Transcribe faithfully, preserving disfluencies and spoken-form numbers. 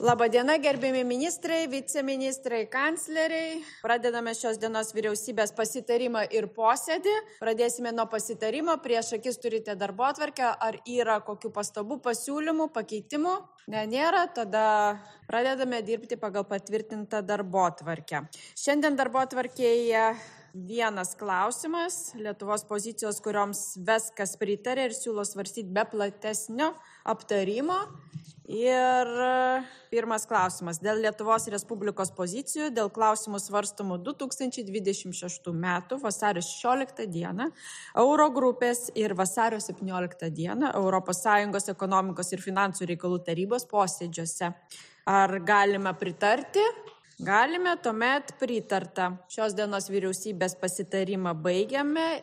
Labadiena, gerbėmi ministrai, viceministrai, kancleriai. Pradedame šios dienos vyriausybės pasitarimą ir posėdį. Pradėsime nuo pasitarimo. Prieš akis turite darbotvarkę. Ar yra kokių pastabų, pasiūlymų, pakeitimų? Ne, nėra. Tada pradedame dirbti pagal patvirtintą darbotvarkę. Šiandien darbotvarkėje vienas klausimas. Lietuvos pozicijos, kurioms viskas pritarė ir siūlo svarstyti be platesnio aptarimo. Ir pirmas klausimas. Dėl Lietuvos Respublikos pozicijų, dėl klausimų svarstomų du tūkstančiai dvidešimt šeštų metų vasario šešioliktą dieną, Euro grupės ir vasario septynioliktą dieną Europos Sąjungos ekonomikos ir finansų reikalų tarybos posėdžiuose. Ar galime pritarti? Galime, tuomet pritarta. Šios dienos vyriausybės pasitarimą baigiame